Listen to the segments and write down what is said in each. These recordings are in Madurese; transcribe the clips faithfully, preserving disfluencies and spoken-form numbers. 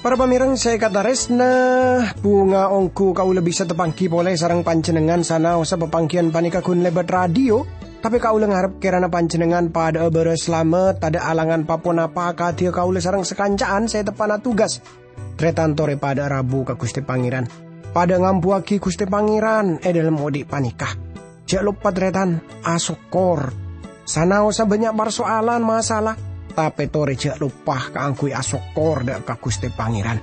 Para pamèrèng sè èkatarèsna, bhunga ongghu kaulâ bisa tapangghi polè sareng panjhennengngan sanaossa papangghiyân panèka ghun lèbât radio, tapè kaulâ ngarep kèrana panjhennengngan padhâ'â bârâs salamet, tadâ' alangan pa-ponapa akadhiyâ kaulâ sareng sakanca'an sè teppa'na tugas. Tarètan torè padhâ'â rabu ka Ghustè Pangèran. Padhâ'â ngambuwâghi Ghustè Pangèran è dhâlem odi' panèka. Jhâ' loppa, tarètan, asokkor. Sanaossa bânnya' parsoalan, masalah, tapè torè jhâ' loppa kaangghuy asokkor dâ' ka Ghustè Pangèran.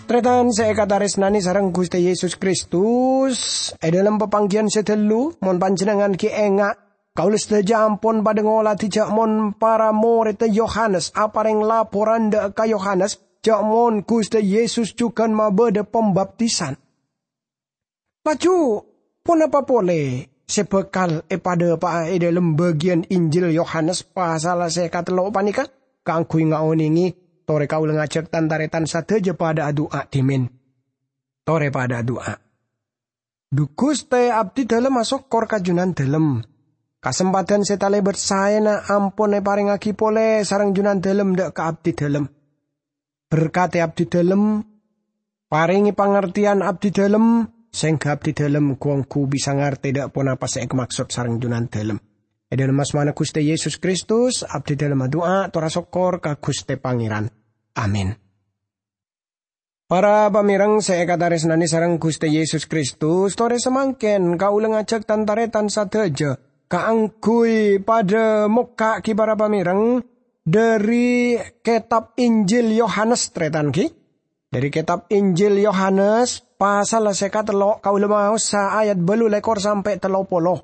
Tarètan sè èkatarèsnanè sareng Ghustè Yesus Kristus, è dhâlem papangghiyân sè ghâllu, mon panjhennengngan ghi' enga', kaulâ sadhâjâ ampon padhâ ngoladhi jhâ' mon para morèdda Yohanes aparèng laporan dâ' ka Yohanes jhâ' mon Ghustè Yesus jhughân mabâdâ pambaptisan. Laju, ponapa polè sè bhâkal èpadhâpa'a è dhâlem bâgiyân Injil Yohanes pasal sè katello' panèka? Kaangghuy ngaonèngè, torè kaulâ ngajhâk tan-tarètan sadhâjâ padhâ adu'a dhimèn. Torè padhâ adu'a. Dhu Ghustè, abdhi dhâlem asokkor ka Jhunandhâlem. Kasempadhân sè talèbât saèna ampon èparèngaghi polè sareng Jhunandhâlem dâ' ka abdhi dhâlem. Berkatè abdhi dhâlem, parèngè pangartèyan abdhi dhâlem, sèngghâ abdhi dhâlem ghu-ongghu bisa ngartè dâ' ponapa sè èkamaksod sareng Jhunandhâlem. È dhâlem asmana Ghustè Yesus Kristus, abdhi dhâlem adu'a, tor asokkor ka Ghustè Pangèran. Amin. Para pamèrèng sè èkatarèsnanè sareng Ghustè Yesus Kristus, torè samangkèn kaulâ ngajhâk tan-tarètan sadhâjâ kaangghuy padhâ mokka'aghi para pamèrèng dhâri Kètab Injil Yohanes, tarètan, ghi. Dhâri Kètab Injil Yohanes, pasal sè katello', kaulâ maosa ayat bâllu lèkor sampè' tello polo.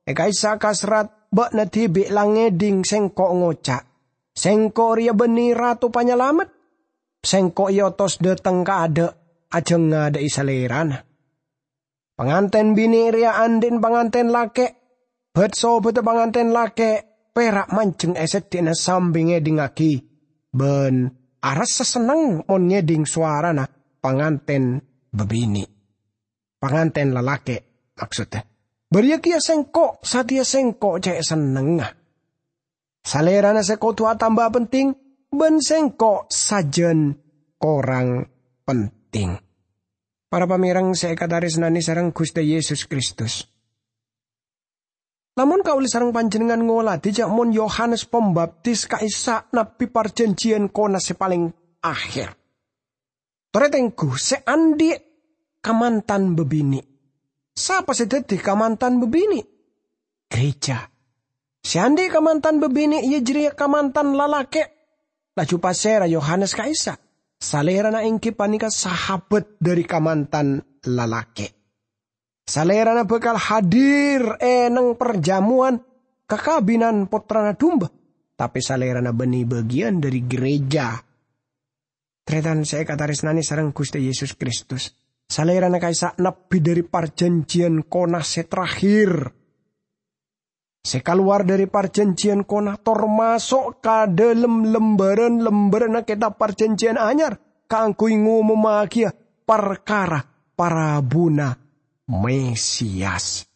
È ka'issa' kaserrat, "Bâ'na dhibi' la ngèdhing Sèngko' ngoca', 'Sèngko' rèya bânnè Rato Panyalamet. Sèngko' èotos dâteng kaadâ' ajhâ' ngadâ'â Salèrana.' Pangantèn binè' rèya andi'na pangantèn lakè', bât-sobâddhâ pangantèn lakè' pèra' manjheng è seddi'na sambi ngèdhingngaghi, bân arassa senneng mon ngèdhing sowarana pangantèn bâbinè'." Pangantèn lalakè', maksodda. Bâriyâ kèya sèngko', satèya sèngko' cè' sennengnga. Salèrana sè kodhu atamba pentèng, bân sèngko' sajân korang pentèng. Para pamèrèng sè èkatarèsnanè sareng Ghustè Yesus Kristus. Lamon kaulâ sareng panjhennengngan ngoladhi jhâ' mon Yohanes Pambaptis ka'issa' nabbhi parjhânjhiyân kona sè palèng akhèr. Torè tengghu sè andhi' kamantan bâbinè'. Sapa sè dhâddhi kamantan bâbinè'? Ghârèjâ. Sè andhi' kamantan bâbinè' iyâ jârèya kamantan lalakè'. Laju pasèra Yohanes ka'issa'? Salèrana èngghi panèka sahabat dhâri kamantan lalakè'. Salèrana bhâkal hadir è neng parjhâmowan kakabinan Pottrana Dumba, tapè Salèrana bânnè bâgiyân dhâri ghârèjâ. Tarètan sè èkatarèsnanè sareng Ghustè Yesus Kristus, Salèrana ka'issa' nabbhi dhâri parjhânjhiyân kona sè terakhir. Sè kalowar dhâri parjhânjhiyân kona, tor maso' ka dhâlem lembârân-lembârânna Kètab Parjhânjhiyân Anyar kaangghuy ngomommaghiyâ parkara parabuna Mesias.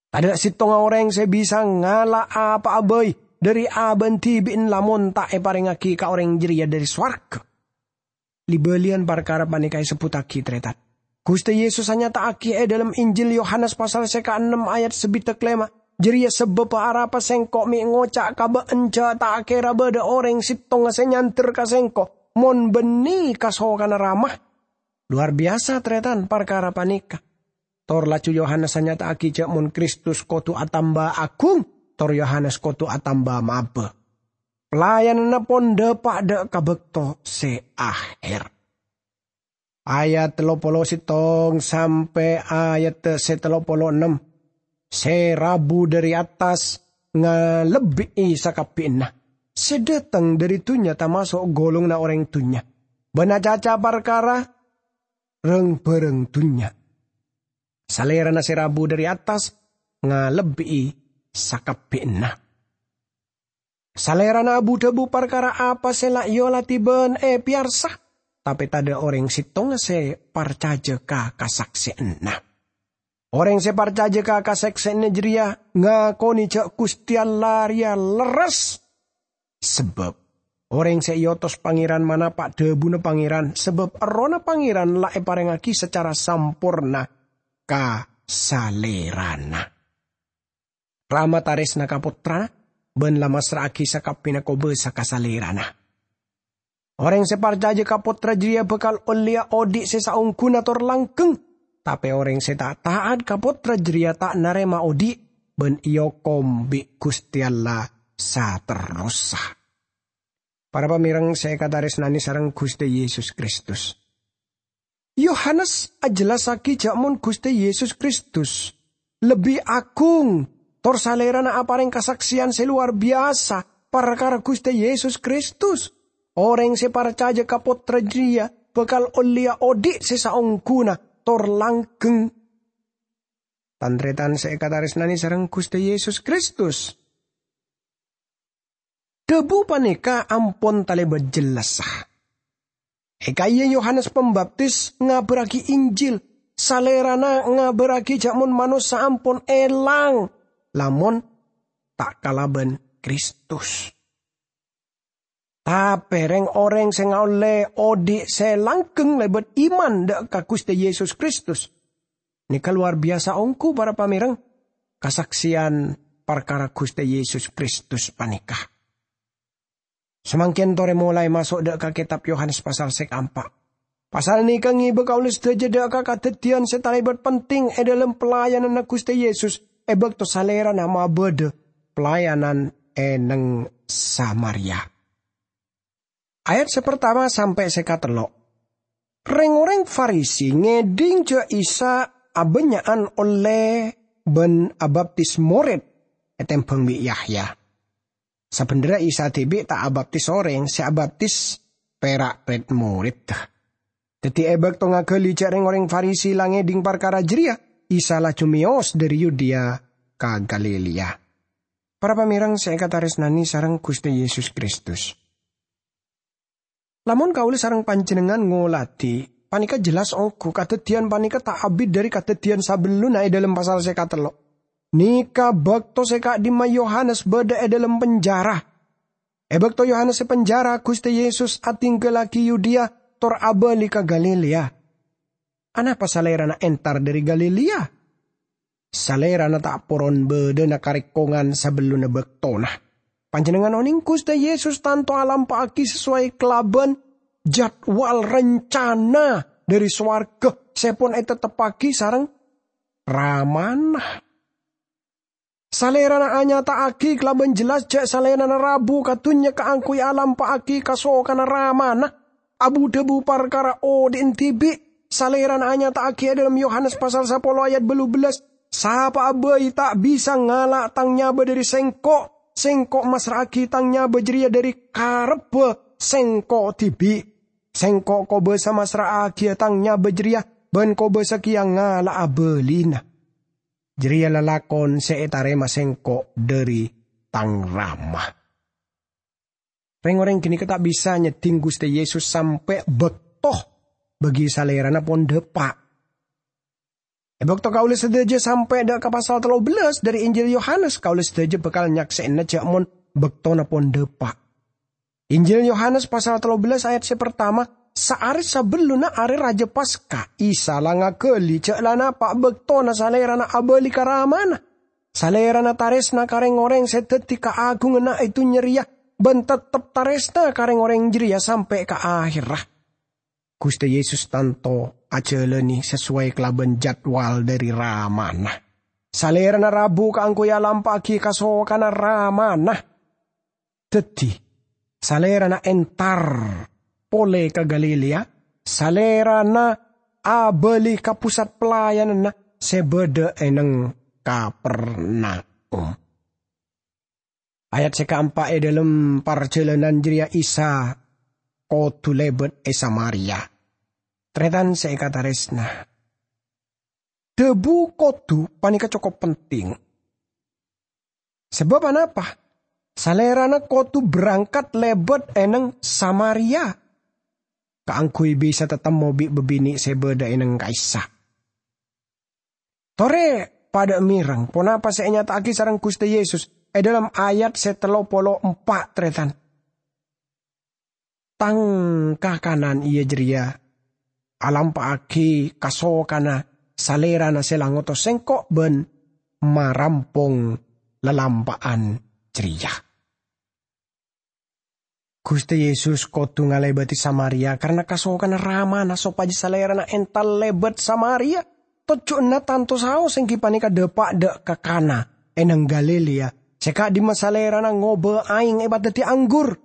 Tadâ' sèttonga orèng sè bisa ngala' apa'a bhâi dhâri abâ'na dhibi'na lamon ta' èparèngaghi ka orèng jârèya dhâri sowarghâ. Li-bâliyân parkara panèka èsebbhuttaghi, tarètan. Ghustè Yesus anyata'aghi è dhâlem Injil Yohanes pasal sè kaennem ayat sabidhâk lèma', "Jârèya sabâbbhâ arapa Sèngko' mè' ngoca' ka bâ'na jhâ' ta' kèra bâdâ orèng sèttonga sè nyandher ka Sèngko', mon bânnè kasokanna Rama." Lowar biyasa, tarètan, parkara panèka. Tor laju Yohanes anyata'aghi jhâ' mon Kristus kodhu atamba aghung, tor Yohanes kodhu atamba mabâ. Pelayananna pon dâpa' dâ' ka bâkto sè aher. Ayat tello polo sèttong sampè' ayat sè tello polo ennem. Sè rabu dhâri attas ngalebbi'i sakabbhiyanna. Sè dâteng dhâri dhunnya tamaso' golonganna orèng dhunnya. bân acaca parkara rang-bhârâng dhunnya. Salèrana sè rabu dhâri attas ngalebbi'i sakabbhiyanna. Salèrana abu-dhâbu parkara apa sè la èoladi bân èpèyarsa, tapè tadâ' orèng sèttonga sè parcajâ ka kasaksèyanna. Orèng sè parcajâ ka kasaksèyanna jârèya ngakonè jâ' Ghustè Allah rèya lerres. Sabâb orèng sè èotos Pangèran manapa' dhâbuna Pangèran, sabâb Errohna Pangèran la èparèngngaghi sacara samporna ka Salèrana. Rama tarèsna ka Pottrana, bân la massra'aghi sakabbhiyânna kobâsa ka Salèrana. Orèng sè parcajâ ka Pottra jârèya bhâkal ollèya odhi' sè saongghuna tor langghâng, tapè orèng sè ta' ta'at ka Pottra jârèya ta' narèma odhi', bân èokom bi' Ghustè Allah saterrossa. Para pamèreng sè èkatarèsnanè sareng Ghustè Yesus Kristus. Yohanes ajhellassaghi jâ' mon Ghustè Yesus Kristus lebbi agung, tor Salèrana aparèng kasaksèyan sè lowar biyasa parkara Ghustè Yesus Kristus. Orèng sè parcajâ ka Pottra jârèya bhâkal ollèya odhi' sè saongghuna tor langghâng. Tan-tarètan sè èkatarèsnanè sareng Ghustè Yesus Kristus. Dhâbu panèka ampon talèbât jellassa. È ka'iyâ Yohanes Pambaptis ngabârraghi Injil, Salèrana ngabârraghi jâ' mon manossa ampon èlang, lamon ta' kalabân Kristus. Tapè rèng-orèng sè ngaollè odhi' sè langghâng lèbât iman dâ' ka Ghustè Yesus Kristus. Nèka lowar biyasa ongghu, para pamèreng, kasaksèyan parkara Ghustè Yesus Kristus panèka. Samangkèn torè molaè maso' dâ' ka Kètab Yohanes pasal sè kaempa'. Pasal nèka ngèbâ kaulâ sadhâjâ dâ' ka kadhâddhiyân sè talèbât penting è dhâlem pelayananna Ghustè Yesus è bâkto Salèrana mabâdâ pelayanan è neng Samaria. Ayat sè partama sampè' sè katello'. Rèng-orèng Farisi ngèdhing jâ' Isa abânnya'an ollè bân abaptis morèd ètembhâng bi' Yahya. Sabhendherra Isa dhibi' ta' abaptis orèng, sè abaptis pèra' red-moredda. Dhâddhi, è bâkto ngaghâli jâ' rèng-orèng Farisi la ngèdhing parkara jârèya, Isa laju mèyos dhâri Yudea ka Galilea. Para pamèreng sè èkatarèsnanè sareng Ghustè Yesus Kristus. Lamon kaulâ sareng panjhennengngan ngoladhi, panèka jelas ongghu kadhâddhiyân panèka ta' abit dhâri kadhâddhiyân sabellunna è dhâlem pasal sè katello'. Nèka bâkto sè ka'dhimma Yohanes bâdâ è dhâlem penjara. È bâkto Yohanes è penjara, Ghustè Yesus adhinggallaghi Yudea tor abâli ka Galilea. Anapa Salèrana entar dhâri Galilea? Salèrana ta' poron bâdâna karèkongan sabellunna bâktona. Panjhennengngan onèng Ghustè Yesus tanto alampa'aghi sasowai kalabân jadwal rencana dhâri sowarga sè pon ètetteppaghi sareng Ramana. Salèrana anyata'aghi kalabân jelas jâ' Salèrana rabu ka dhunnya kaangghuy alampa'aghi kasokanna Ramana. Abu-dhâbu parkara odhi'na dhibi', Salèrana anyata'aghi è dhâlem Yohanes pasal sapolo ayat bâllu bellâs, "Sapa'a bhâi ta' bisa ngala' Tang nyabâ dhâri Sèngko'. Sèngko' massra'aghi Tang nyabâ jârèya dhâri karebbhâ Sèngko' dhibi'. Sèngko' kobâsa massra'aghiyâ Tang nyabâ jârèya, bân kobâsa kèya ngala'a bâlina. Jârèya lalakon sè ètarèma Sèngko' dhâri Tang Rama." Rèng-orèng ghânèka ta' bisa nyèddhing Ghustè Yesus sampè' bâkto bâgi Salèrana pon dâpa'. È bâkto kaulâ sadhâjâ sampè' dâ' ka pasal tello bellâs dhâri Injil Yohanes, kaulâ sadhâjâ bhâkal nyaksè'ana jâ' mon bâktona pon dâpa'. Injil Yohanes pasal tello bellâs ayat sè partama, saarè sabellunna Arè Rajâ Paska, Isa la ngaghâli jâ' la napa' bâktona Salèrana abâli ka Ramana. Salèrana tarèsna ka rèng-orèng sè dhâddhi kaagunganna è dhunnya rèya, bân tettep tarèsna ka rèng-orèng jârèya sampè' ka aherra. Ghustè Yesus tanto ajhâlânè sasowai kalabân jadwal dhâri Ramana. Salèrana rabu kaangghuy alampa'aghi kasokanna Ramana. Dhâddhi, Salèrana entar polè ka Galilea, Salèrana abâli ka pusat pelayananna sè bâdâ è neng Kapernaum. Ayat sè kaempa', è dhâlem parjhâlânan jârèya Isa kodhu lèbât è Samaria. Tarètan sè èkatarèsna, dhâbu kodhu panèka cokop penting. Sabâb anapa? Salèrana kodhu berangkat lèbât è nèng Samaria kaangghuy bisa tatemmo bi' bâbinè' sè bâdâ è nèng ka'issa'. Torè padâ mèreng ponapa sè ènyata'aghi sareng Ghustè Yesus è dhâlem ayat sè tello polo empa', tarètan. Tang kakanan iyâ jârèya alampa'aghi kasokanna Salèrana sè la ngotos sèngko' bân marampong lalampa'an jârèya. Ghustè Yesus kodhu ngalèbâdhi Samaria karana kasokanna Ramana sopajâ Salèrana entar lèbât Samaria. Tojjhuna tanto saos èngghi panèka dâpa' dâ' ka Kana è nèng Galilea, sè ka'dimma Salèrana ngobâ aèng èpadhâddhi anggur.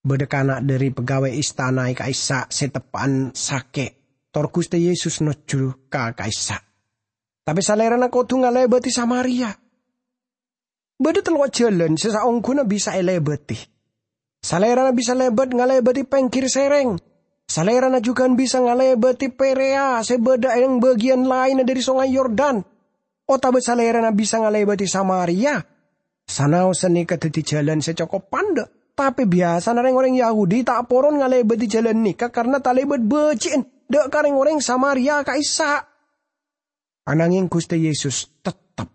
Bâdâ kana' dhâri pegawai istana è ka'issa' sè teppa'an sakè', tor Ghustè Yesus nojjhu ka ka'issa'. Tapè Salèrana kodhu ngalèbâdhi Samaria. Bâdâ tello' jhâlân sè saongghuna bisa èlèbâdhi. Salèrana bisa lèbât ngalèbâdhi pèngghir sèrèng. Salèrana jhughân bisa ngalèbâdhi Perea sè bâdâ è bâgiyân laènna dhâri Songay Yordan. Otabâ Salèrana bisa ngalèbâdhi Samaria. Sanaossa nèka dhâddhi jhâlân sè cokop pandâ', tapè biyasana rèng-orèng Yahudi ta' poron ngalèbâdhi jhâlân nèka karana talèbât bâji'ân dâ' ka rèng-orèng Samaria ka'issa'. Ananghèng Ghustè Yesus tettep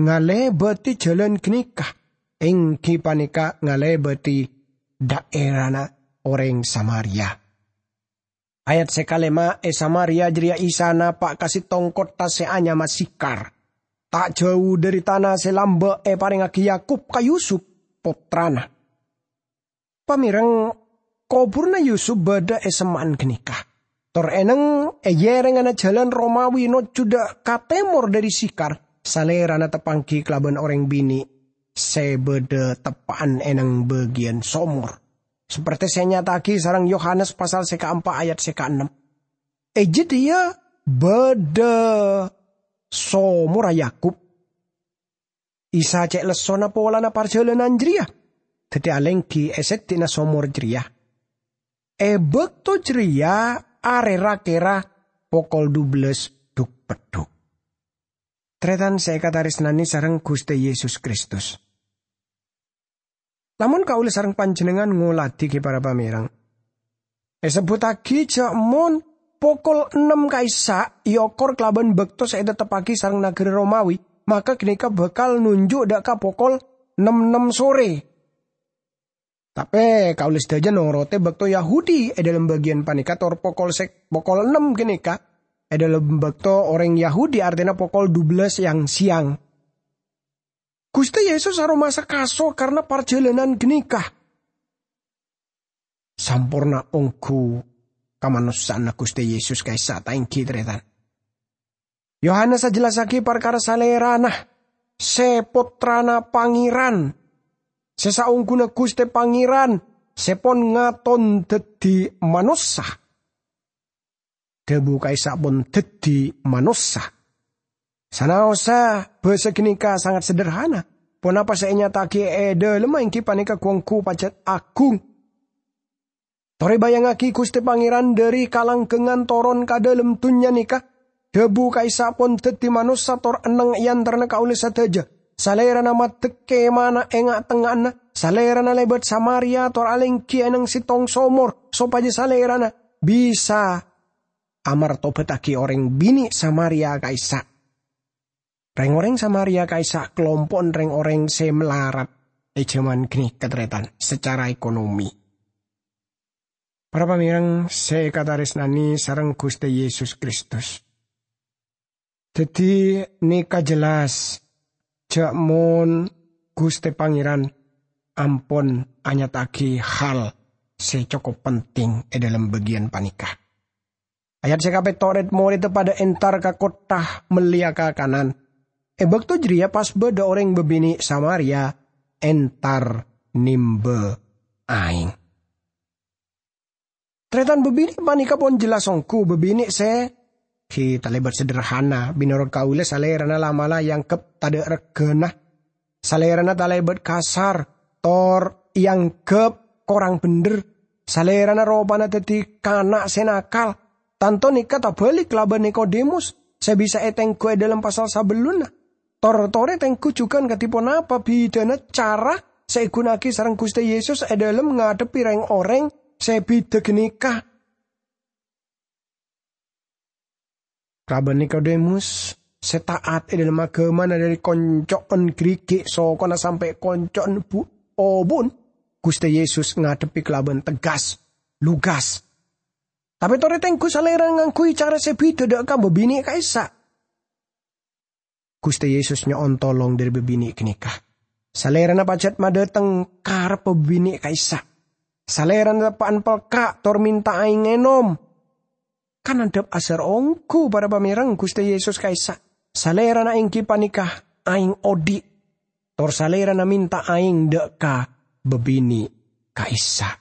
ngalèbâdhi jhâlân ghânèka, èngghi panèka ngalèbâdhi dhaèrana orèng Samaria. Ayat sè kalèma', è Samaria jârèya Isa napa' ka sèttong kottha sè anyama Sikhar, ta' jâu dhâri tana sè lambâ' èparèngaghi Yakub ka Yusup, pottrana. Pamèreng, kobhurna Yusup bâdâ è semma'an ghânèka. Tor è nèng è yèrènganna jhâlân Romawi nojjhu dâ' ka tèmor dhâri Sikhar, Salèrana tapanggi kalabân orèng binè' sè bâdâ teppa'an è nèng bâgiyân somor. Saperte sè ènyata'aghi sareng Yohanes pasal sè kaempa' ayat sè kaennem. È jâdiyâ bâdâ somorra Yakub. Isa cè' lessona polana parjhâlânan jârèya, dhâddhi alèngghi è seddhi'na somor jârèya. È bâkto jârèya arè ra-kèra pokol dubellâs dhuk-peddhuk. Tarètan sè èkatarèsnanè sareng Ghustè Yesus Kristus. Lamon kaulâ sareng panjhennengngan ngoladhi ghi para pamèreng, èsebbhuttaghi jâ' mon pokol ennem ka'issa' èokor kalabân bâkto sè ètetteppaghi sareng naghârâ Romawi, maka ghânèka bhâkal nonjhu' dâ' ka pokol nem-ennem sore. Tapè kaulâ sadhâjâ norote bâkto Yahudi è dhâlem bâgiyân panèka, tor pokol sè-, pokol ennem ghânèka è dhâlem bâkto orèng Yahudi, artèna pokol dubellâs yang-sèyang. Ghustè Yesus aromasa kaso karna parjhâlânan ghânèka. Samporna ongghu kamanossa'anna Ghustè Yesus ka'issa' ta' èngghi, tarètan? Yohanes ajhellassaghi parkara Salèrana, sè Pottrana Pangèran, sè saongghuna Ghustè Pangèran, sè pon ngaton dhâddhi manossa. Dhâbu ka'issa' pon dhâddhi manossa. Sanaossa bhâsa ghânèka sanget sederhana. Ponapa sè ènyata'aghi è dhâlemma èngghi panèka gu-ongghu pajhât aghung. Torè bâjângaghi Ghustè Pangèran dhâri kalangghângan toron ka dhâlem dhunnya nèka. Dhâbu ka'issa' pon dhâddhi manossa tor enneng è antarana kaulâ sadhâjâ. Salèrana maddhek kemana è nga'-tengnga'anna. Salèrana lèbât Samaria tor alèngghi è nèng sèttong somor, sopajâ Salèrana bisa amartobattaghi orèng binè' Samaria ka'issa'. Rèng-orèng Samaria ka'issa' kalompo'na rèng-orèng sè malarat è jhâman ghânèka, tarètan, sacara ekonomi. Para pamèreng sè èkatarèsnanè sareng Ghustè Yesus Kristus. Dhâddhi, nèka jelas jâ' mon Ghustè Pangèran ampon anyata'aghi hal sè cokop penting è dhâlem bâgiyân panèka. Ayat sè kapètto', rèd-morèdda padâ entar ka kottha mellèya kakanan. È bâkto jârèya pas bâdâ orèng bâbinè' Samaria entar nèmbâ aèng. Tarètan, bâbinè' panèka pon jelas ongghu bâbinè' sè ghi' talèbât sederhana. Mènorot kaulâ, salèrana la'-mala' èangghep tadâ' regghâna. Salèrana talèbât kasar, tor èangghep korang bhendher. Salèrana ropana dhâddhi kana' sè nakal. Tanto nèka tabâlik kalabân Nikodemus sè bisa ètengghu è dhâlem pasal sabellunna. Tor-torè tengghu jhughân kadhi ponapa bhidhâna cara sè èghuna'aghi sareng Ghustè Yesus è dhâlem ngadhebbhi rèng-orèng sè bhidhâ ghânèka. Kalabân Nikodemus sè ta'at è dhâlem aghâmana dhâri konco'en ghârighi' sokona sampè' konco'en bu-, obu'en, Ghustè Yesus ngadhebbhi kalabân tegas, lugas. Tapè torè tengghu Salèrana ngangghuy cara sè bhidhâ dhâ' ka bâbinè' ka'issa'. Ghustè Yesus nyo'on tolong dhâri bâbinè' ghânèka. Salèrana pajhât madhâteng karebbhâ bâbinè' ka'issa'. Salèrana teppa'an pelka' tor mènta aèng ngènom. Kan andhâp asar ongghu, para pamèreng, Ghustè Yesus ka'issa'. Salèrana èngghi panèka aèng odi'. Tor Salèrana mènta aèng dhâ' ka bâbinè' ka'issa'.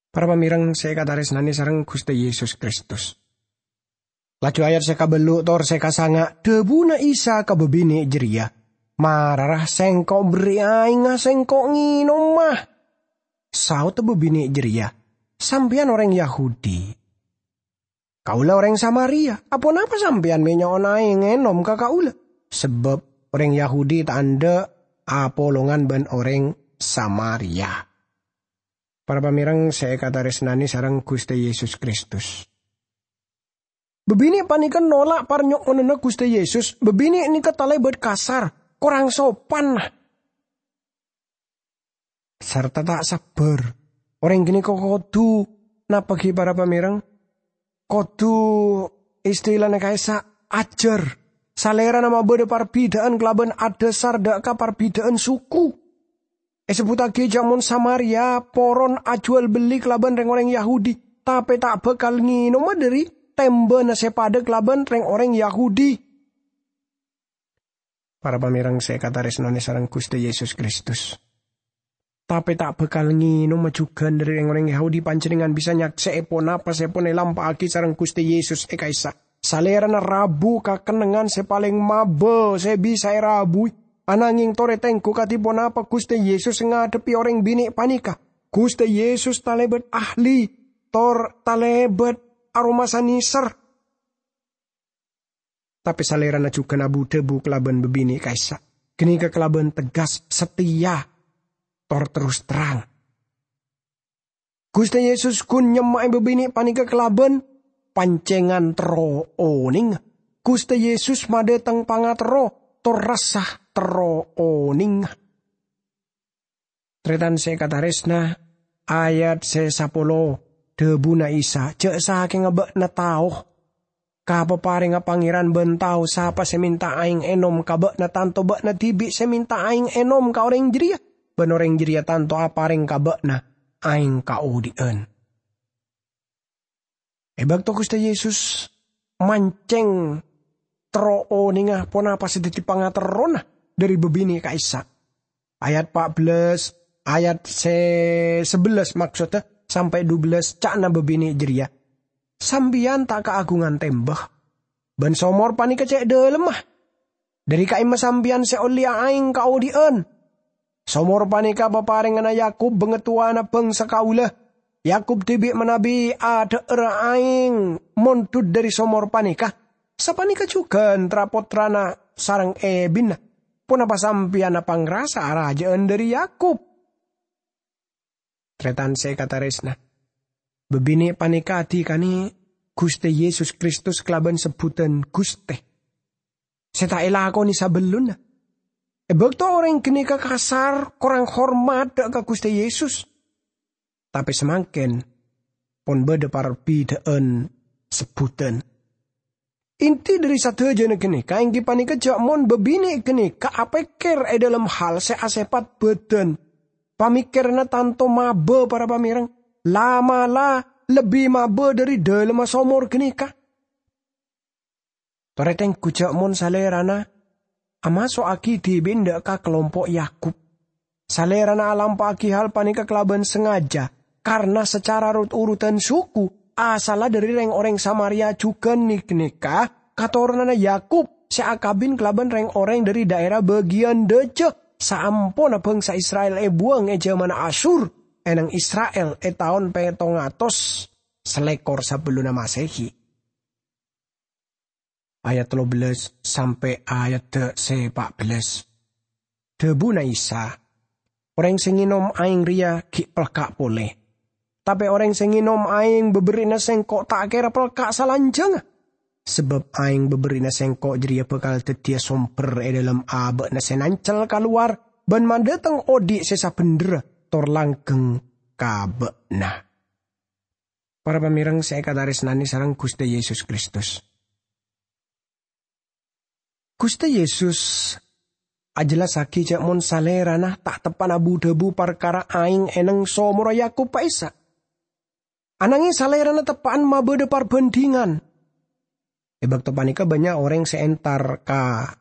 Para pamèreng sè èkatarèsnanè sareng Ghustè Yesus Kristus. Laju ayat sè kabellu' tor sè kasanga', dhâbuna Isa ka bâbinè' jârèya, "Mara, ra, Sengko' berri' aèngnga, Sengko' ngènoma." Saodda bâbinè' jârèya, "Sampèyan orèng Yahudi. Kaulâ orèng Samaria. Aponapa sampèyan mè' nyo'on aèng ngènom ka kaulâ?" Sabâb orèng Yahudi ta' endâ' apolongan bân orèng Samaria. Para pamèreng sè èkatarèsnanè sareng Ghustè Yesus Kristus. Bâbinè' panèka nolak parnyo'onanna Ghustè Yesus. Bâbinè' nèka talèbât kasar, korang sopan, sarta ta' sabbhâr. Orèng ghânèka kodhu napa ghi, para pamèreng? Kodhu, istilana ka'issa', ajhâr. Salèrana mabâdâ parbidhâ'ân kalabân adhâsar dhâ' ka parbidhâ'ân suku. Èsebbhuttaghi jhâ' mon Samaria poron ajhuwâl bellè kalabân rèng-orèng Yahudi, tapè ta' bhâkal ngènoma dhâri tèmbhâna sè padâ kalabân rèng-orèng Yahudi. Para pamèreng sè èkatarèsnanè sareng Ghustè Yesus Kristus. Tapè ta' bhâkal ngènoma jhughân dhâri rèng-orèng Yahudi. Panjhennengngan bisa nyaksè'è ponapa sè pon èlampa'aghi sareng Ghustè Yesus è ka'issa'. Salèrana rabu ka kennengngan sè palèng mabâ sè bisa èrabuwi. Ananghing torè tengghu kadhi ponapa Ghustè Yesus ngadhebbhi orèng binè' panèka. Ghustè Yesus talèbât ahli, tor talèbât aromasa nèser. Tapè Salèrana jhughân abu-dhâbu kalabân bâbinè' ka'issa'. Ghânèka kalabân tegas, sateya, tor terros terrang. Ghustè Yesus ghun nyemma'è bâbinè' panèka kalabân pancèngan terro onèngnga. Ghustè Yesus madhâteng pangaterro, tor rassa terro onèngnga. Tarètan sè èkatarèsna, ayat sè sapolo, dhâbuna Isa, "Jhâ' sakènga bâ'na tao ka paparèngnga Pangèran bân tao sapa sè mènta aèng ènom ka bâ'na, tanto bâ'na dhibi' sè mènta aèng ènom ka orèng jârèya, bân orèng jârèya tanto aparèng ka bâ'na aèng kaodi'ân." È bâkto Ghustè Yesus mancèng terro onèngnga ponapa sè dhâddhi pangaterrona dhâri bâbinè' ka'issa'. Ayat pa' bellâs, ayat sè sabellâs maksoddhâ, sampè' dubellâs, ca'na bâbinè' jârèya, "Sampèyan ta' kaagungan tèmbhâ, bân somor panèka cè' dhâlemma. Dhâri ka'imma sampèyan sè ollèya aèng kaodi'ân? Somor panèka paparènganna Yakub, bangatowana bhângsa kaulâ. Yakub dhibi' manabi adhâ'ârâ aèng mondhut dhâri somor panèka. Sapanèka jhughân tra-pottrana sareng èbinna. Ponapa sampèyan apangrasa arajâ'ân dhâri Yakub?" Tarètan sè èkatarèsna, bâbinè' panèka adhikanè Ghustè Yesus Kristus kalabân sebbhudhân Ghustè sè ta' èlakonè sabellunna. È bâkto orèng ghânèka kasar, korang hormat dhâ' ka Ghustè Yesus, tapè samangkèn pon bâdâ parbidhâ'ân sebbhudhân. Inti dhâri sadhâjâna ghânèka èngghi panèka jhâ' mon bâbinè' ghânèka apèkkèr è dhâlem hal sè asèpat bâdân. Pamèkkèranna tanto mabâ, para pamèreng, la'-mala' lebbi mabâ dhâri dhâlemma somor ghânèka. Torè tengghu jhâ' mon salèrana amaso'aghi dhibi'na dhâ' ka kalompo' Yakub. Salèrana alampa'aghi hal panèka kalabân sangajâ, karna sacara rot-urutan suku, asalla dhâri rèng-orèng Samaria jhughân nè-, ghânèka katoronanna Yakub sè akabin kalabân rèng-orèng dhâri dhaèra bâgiyân dâjâ, saamponna bhângsa Isra'il èbuwâng è jhâmanna Asyur. è neng Isra'il è taon pètong atos salèkor sabellunna Masehi. Ayat tello bellas sampè' ayadda sè pa' bellas. Dhabuna Isa, "Orèng sè ngènom aèng rèya ghi' pelka' polè. Tapè orèng sè ngènom aèng bâberri'na Sèngko' ta' kèra pelka' salanjhângnga. Sabâb aèng bâberri'na Sèngko' jârèya bhâkal dhâddhiyâ sombher è dhâlem abâ'na sè nancel kalowar bân madhâteng odi' sè sabhendherra tor langgheng ka bâ'na." Para pamèreng sè èkatarèsnanè sareng Ghustè Yesus Kristus. Ghustè Yesus ajhellassaghi jâ' mon Salèrana ta' teppa'na bu-dhâbu parkara aèng è neng somorra Yakub pa' Ishak. Ananghèng Salèrana teppa'an mabâdâ parbhândhingan. È bâkto panèka bânnya' orèng sè entar ka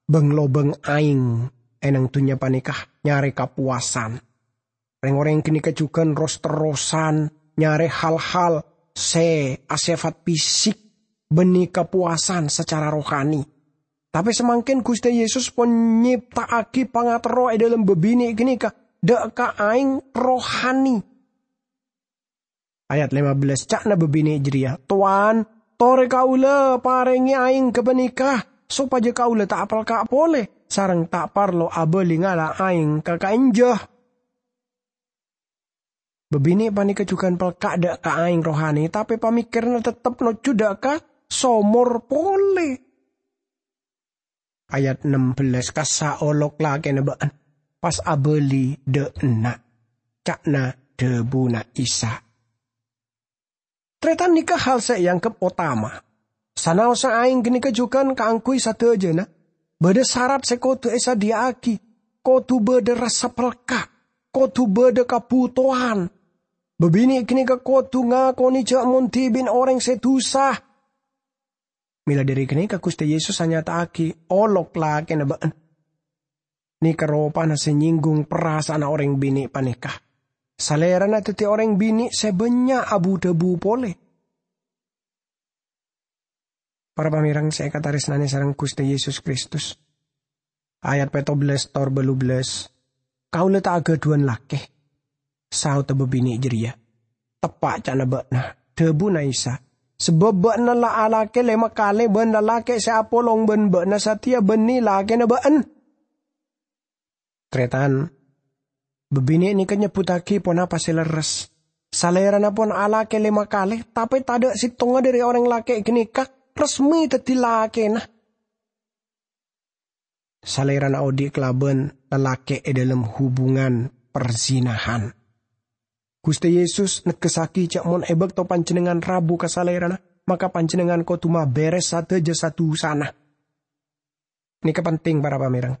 bâng-lobâng aèng è neng dhunnya panèka nyarè kapowasan. Rèng-orèng ghânèka jhughân ros-terrosan nyarè hal-hal sè asèfat fisik bânnè kapowasan sacara rohani. Tapè samangkèn Ghustè Yesus pon nyèpta'aghi pangaterro è dhâlem bâbinè' ghânèka dâ' ka aèng rohani. Ayat lima belas, ca'na bâbinè' jârèya, "Towan, torè kaulâ parèngè aèng ghâpanèka, sopajâ kaulâ ta' apelka' polè, sareng ta' parlo abâli ngala' aèng ka ka'enjâ." Bâbinè' panèka jhughân pelka' dâ' ka aèng rohani, tapè pamèkkèranna tettep nojjhu dâ' ka somor polè. Ayat ennem bellas, "Kassa' olok lakèna bâ'na, pas abâli dâ' enna'," ca'na dhâbuna Isa. Tarètan nèka hal sè èangghep otama. Sanaossa aèng ghânèka jhughân kaangghuy sadhâjâna, bâdâ sarat sè kodhu èsadhiyâ'aghi, kodhu bâdâ rassa pelka', kodhu bâdâ kabhutowan. Bâbinè' ghânèka kodhu ngakonè jâ' mon dhibi'na orèng sè dhusa. Mèla dhâri ghânèka Ghustè Yesus anyata'aghi olok lakèna bâ'na. Nèka ropana sè nyèngghung parasa'anna orèng binè' panèka. Salèrana dhâddhi orèng binè' sè bânnya' abu-dhâbu polè. Para pamèreng sè èkatarèsnanè sareng Ghustè Yesus Kristus. Ayat pètto bellas tor bâllu bellas, "Kaulâ ta' aghâdhuwân lakè," saodda bâbinè' jârèya. "Teppa' ca'na bâ'na," dhâbuna Isa, "sabâb bâ'na la alakè lèma kalè bân lalakè' sè apolong bân bâ'na satèya bânnè lakèna bâ'na." Tarètan, bâbinè' nèka nyebbhuttaghi ponapa sè lerres. Salèrana pon alakè lèma kalè, tapè tadâ' sèttongnga dhâri orèng lakè' ghânèka resmi dhâddhi lakèna. Salèrana odi' kalabân lalakè' è dhâlem hubungan perzinahan. Ghustè Yesus negghessaghi jâ' mon è bâkto panjhennengngan rabu ka Salèrana, maka panjhennengngan kodhu mabèrès sadhâjâ sa-dhusana. Nèka penting, para pamèreng.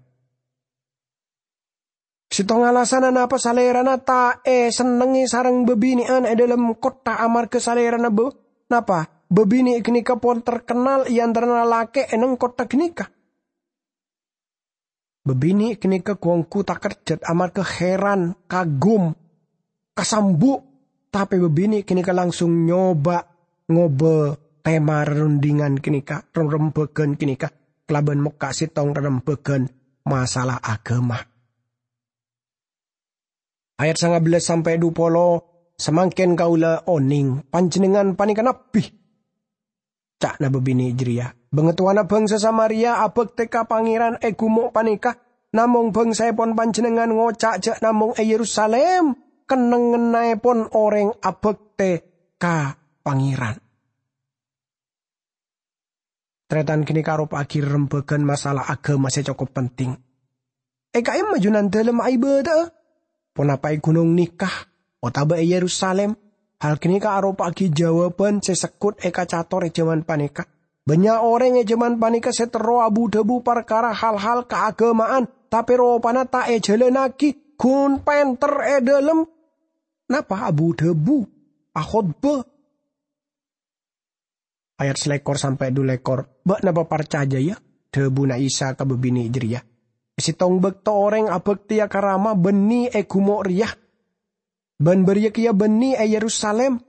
Sèttong alasanna napa Salèrana ta' èsennengngè sareng bâbinè'an è dhâlem kottha amarghâ Salèrana bâ-, napa? Bâbinè' ghânèka pon terkennal è antarana lalakè' è neng kottha ghânèka. Bâbinè' ghânèka ghu-ongghu takerjhât amarghâ heran, kagum, kasambu', tapè bâbinè' ghânèka langsung nyoba ngobâ tema rerundingan ghânèka, rerembhâghân ghânèka, kalabân mokka' sèttong rerembhâghân masalah aghâma. Ayat sanga bellas sampè' dhu polo, "Samangkèn kaulâ onèng panjhennengngan panèka nabbhi," ca'na bâbinè' jârèya. "Bangatowana bhângsa Samaria abhâktè ka Pangèran è ghumo' panèka, namong bhângsaèpon panjhennengngan ngoca' jâ' namong è Yerusalim kennengngannaèpon orèng abhâktè ka Pangèran." Tarètan ghânèka aropa'aghi rerembhâghân masalah aghâma sè cokop penting. È ka'imma Junandalem aibâdâ'â? Ponapa è ghunong nèka otabâ è Yerusalim? Hal ghânèka aropa'aghi jâwâbhân sè segghut èkacator è jhâman panèka. Bânnya' orèng è jhâman panèka sè terro abu-dhâbu parkara hal-hal kaaghâma'an, tapè ropana ta' èjhâlânnaghi, ghun pènter è dhâlem, napa, abu-dhâbu, akhotbah. Ayat salèkor sampè' dhu lèkor, "Bâ'na paparcajâ, yâ," dhâbuna Isa ka bâbinè' jârèya. "È sèttong bâkto orèng abhâktèya ka Rama bânnè è ghumo' rèya, bân bâriyâ kèya bânnè è Yerusalim.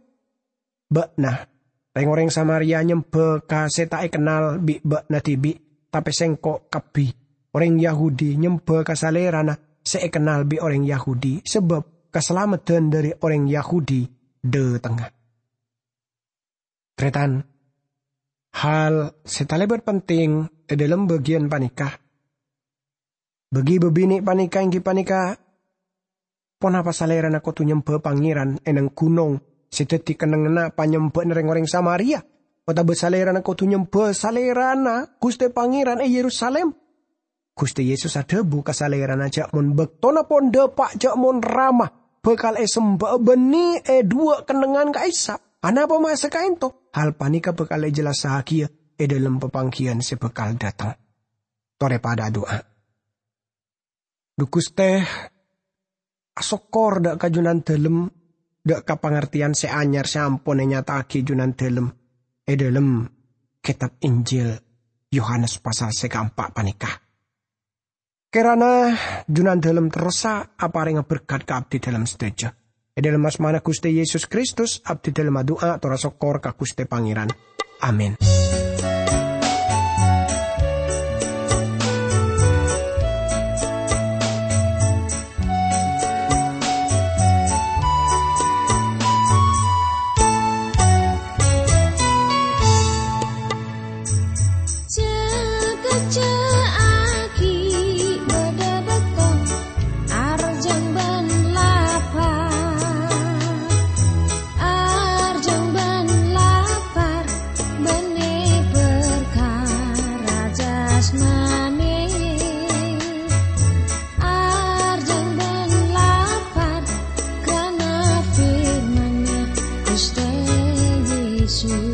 Bâ'na, rèng-orèng Samaria nyembhâ ka sè ta' èkennal bi' bâ'na dhibi', tapè Sèngko' kabbhi, orèng Yahudi, nyembhâ ka Salèrana sè èkennal bi' orèng Yahudi, sabâb kasalamedhân dhâri orèng Yahudi dhâtengnga. Tarètan, hal sè talèbât penting è dhâlem bâgiyân panèka. Bâgi bâbinè' panèka èngghi panèka ponapa salèrana kodhu nyembhâ Pangèran è neng ghunong sè dhâddhi kennengnganna panyembhâ'na rèng-orèng Samaria, otabâ salèrana kodhu nyembhâ Salèrana Ghustè Pangèran è Yerusalim? Ghustè Yesus adhâbu ka salèrana jhâ' mon bâktona pon dhâpa' jhâ' mon Rama bhâkal èsemba'a bânnè è dhuwâ' kennengngan ka'issa'. Anapa masa ka'ènto? Hal panèka bhâkal èjellassaghiyâ è dhâlem papangghiyân sè bhâkal dhâteng. Torè padhâ adu'a. Dhu Ghustè, asokkor dhâ' ka Junandâlem, dhâ' ka pangartèyan sè anyar sè ampon ènyata'aghi Junandâlem è dhâlem Kètab Injil Yohanes pasal sè kaempa' panèka. Kèrana Junandâlem terrosa aparènga berkat ka abdhidâlem sadhâjâ. È dhâlem asmana Ghustè Yesus Kristus, abdhidâlem adu'a tor asokkor ka Ghustè Pangèran. Amin. Ca'aghi bâdâ bâkto arjhâng bân lapar, arjhâng bân lapar bânnè parkara jasmani, arjhâng bân lapar kana firman-Nya Ghustè Yesus.